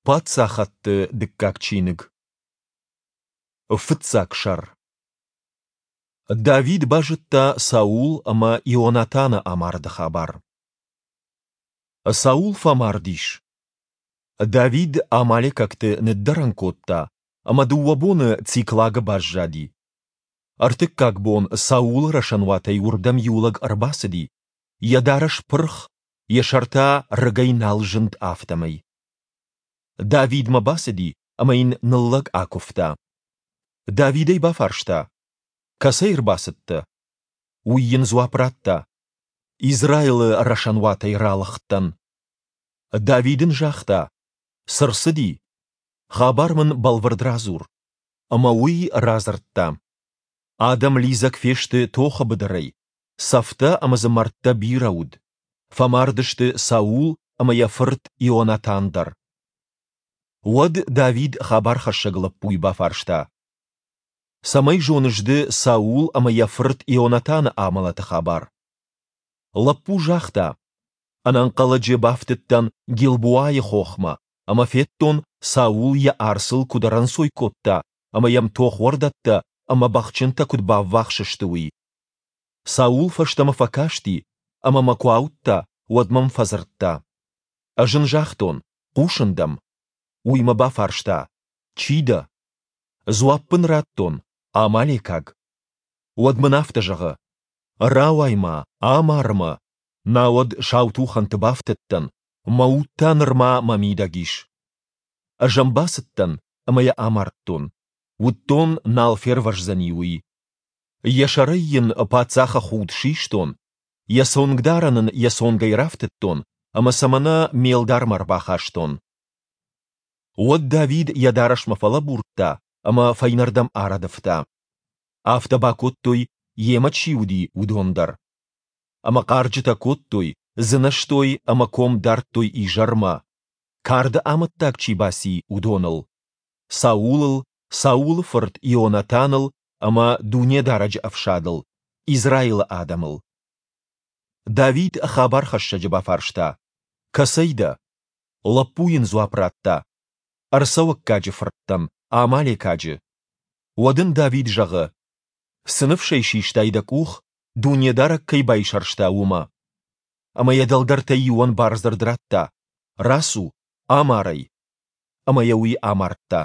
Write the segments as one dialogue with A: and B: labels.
A: Паддзахӕдты дыккаг чиныг. Фыццаг сӕр. Давид базыдта Саул ӕмӕ Ионатаны амарды хабар. Саул фӕмард ис. Давид амалекӕгты ныддӕрӕн кодта ӕмӕ дыууӕ боны Циклагы баззади. Ӕртыккаг бон Саулы рӕсӕнуатӕй уырдӕм иу лӕг ӕрбацыди, йӕ дарӕс пырх, йӕ сӕр та рыгӕй нал зынд, афтӕмӕй. Давидмӕ бацыди ӕмӕ йын ныллӕг акуывта. Давид ӕй бафарста: Кӕцӕй ӕрбацыдтӕ? Уый йын дзуапп радта: Израилы рӕсӕнуатӕй ралыгъдтӕн. Давид ын загъта: Цы рцыди? Хабар мын бӕлвырд радзур. Ӕмӕ уый радзырдта. Адӕм лидзӕг фесты тохы быдырӕй, цӕфтӕ ӕмӕ дзы мӕрдтӕ бирӕ уыд. Фӕмард сты Саул ӕмӕ йӕ фырт Ионатан дӕр. Уӕд Давид хабархӕссӕг лӕппуйы бафарста: Цӕмӕй зоныс ды Саул ӕмӕ йӕ фырт Ионатаны амӕлӕты хабар? Лӕппу загъта: Ӕнӕнхъӕлӕджы бафтыдтӕн Гилбоайы хохмӕ ӕмӕ федтон, Саул йӕ арцыл куыд ӕрӕнцой кодта ӕмӕ йӕм тохуӕрдӕттӕ ӕмӕ бӕхджынтӕ куыд баввахс сты, уый. Саул фӕстӕмӕ фӕкасти ӕмӕ мӕ куы ауыдта, уӕд мӕм фӕдзырдта. Ӕз ын загътон, хъусын дӕм. Уый мӕ бафарста, чи дӕ? Дзуапп ын радтон, амалекаг. Уӕд мын афтӕ зӕгъы, рауай-ма, амар мӕ, науӕд сау тухӕнты бафтыдтӕн, мӕ уд та нырма мӕ мидӕг ис. Ӕз ӕм бацыдтӕн ӕмӕ йӕ амардтон. Уыдтон, нал фервӕздзӕни, уый. Йӕ сӕрӕй йын паддзахы худ систон, йӕ цонгдарӕн ын йӕ цонгӕй рафтыдтон ӕмӕ сӕ мӕнӕ ме лдармӕ ӕрбахастон. Уӕд Давид йӕ дарӕсмӕ фӕлӕбурдта ӕмӕ фӕйнӕрдӕм арӕдывта. Афтӕ бакодтой, йемӕ чи уыди, уыдон дӕр. Ӕмӕ хъарджытӕ кодтой, дзынӕзтой ӕмӕ ком дардтой изӕрмӕ, карды амӕттаг чи баци, уыдоныл, Саулыл, Саулы фырт Ионатаныл ӕмӕ Дунедарӕджы ӕфсадыл, Израилы адӕмыл. Давид хабархӕссӕджы бафарста: Кӕцӕй дӕ? Лӕппу йын дзуапп радта: Ӕрцӕуӕггаджы фырт дӕн, амалекаджы. Уӕд ын Давид зӕгъы: Цы ныфсӕй систай дӕ къух, Дунедарӕг кӕй байсӕрста, уымӕ? Ӕмӕ йӕ дӕлдӕртӕй иуӕн бардзырд радта: Рацу, амар ӕй. Ӕмӕ йӕ уый амардта.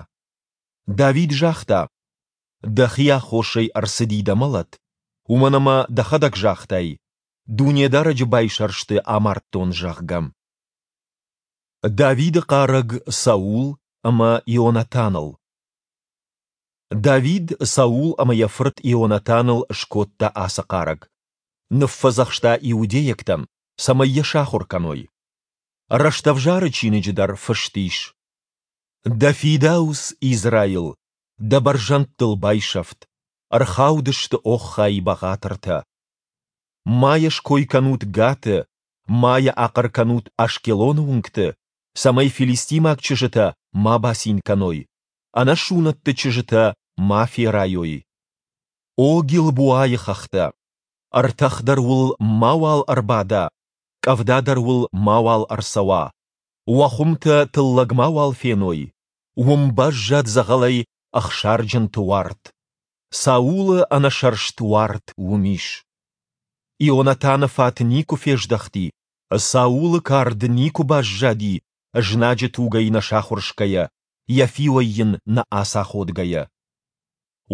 A: Давид загъта: Дӕхи аххосӕй ӕрцыди дӕ мӕлӕт, уымӕн ӕмӕ дӕхӕдӕг загътай, Дунедарӕджы байсӕрсты амардтон, зӕгъгӕ. Давиды хъарӕг Саул ӕмӕ Ионатаныл. Давид Саул ӕмӕ йӕ фырт Ионатаныл скодта ацы хъарӕг. Ныффӕдзӕхста иудейӕгтӕн, цӕмӕй йӕ сахуыр кӕной. Рӕстӕвзары чиныджы дӕр фыст ис: Дӕ фидауц, Израил, дӕ бӕрзӕндтыл байсӕфт, ӕрхаудысты, оххай, бӕгъатыртӕ. Ма йӕ ской кӕнут Гаты, ма йӕ ахъӕр кӕнут Ашкелоны уынгты, цӕмӕй филистимаг чызджытӕ ма бацин кӕной, ӕнӕсунӕтты чызджытӕ ма ферайой. О Гилбоайы хӕхтӕ! Ӕртӕх дӕр уыл мауал ӕрбада, къӕвда дӕр уыл мауал ӕрцӕуа, уӕ хуымтӕ тыллӕг мауал феной, уым баззад дзӕгъӕлӕй ӕхсарджынты уарт. Саулы ӕнӕсӕрст уарт уым ис. Ионатаны фат никуы фездӕхти, Саулы кард никуы баззади знаджы тугӕй нӕ сахуырсгӕйӕ, йӕ фиуӕй йын нӕ ацаходгӕйӕ.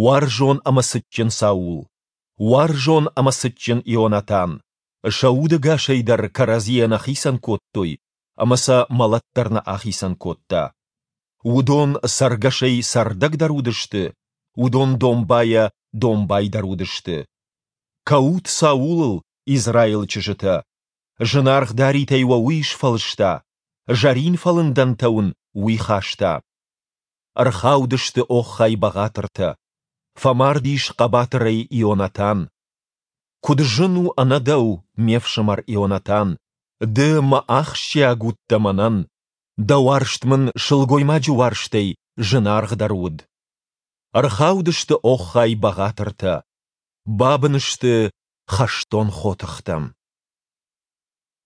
A: Уарзон ӕмӕ цытджын Саул, уарзон ӕмӕ цытджын Ионатан, сӕ удӕгасӕй дӕр кӕрӕдзийӕ нӕ хицӕн кодтой ӕмӕ сӕ мӕлӕт дӕр нӕ ахицӕн кодта. Уыдон цӕргӕсӕй цӕрдӕгдӕр уыдысты, уыдон домбайӕ домбайдӕр уыдысты. Кӕут Саулыл, Израилы чызджытӕ! Зынаргъ даритӕй уӕ уый сфӕлыста, зӕрин фӕлындӕнтӕ уын уый хаста. Ӕрхаудысты оххай бӕгъатыртӕ. Фӕмард ис хъӕбатырӕй Ионатан. Куыд зын у ӕнӕ дӕу, ме фсымӕр Ионатан, ды мӕ ахсджиаг уыдтӕ мӕнӕн, дӕ уарзт мын сылгоймаджы уарзтӕй зынаргъдӕр уыд. Ӕрхаудысты оххай бӕгъатыртӕ, бабын сты хӕстон хотыхтӕ.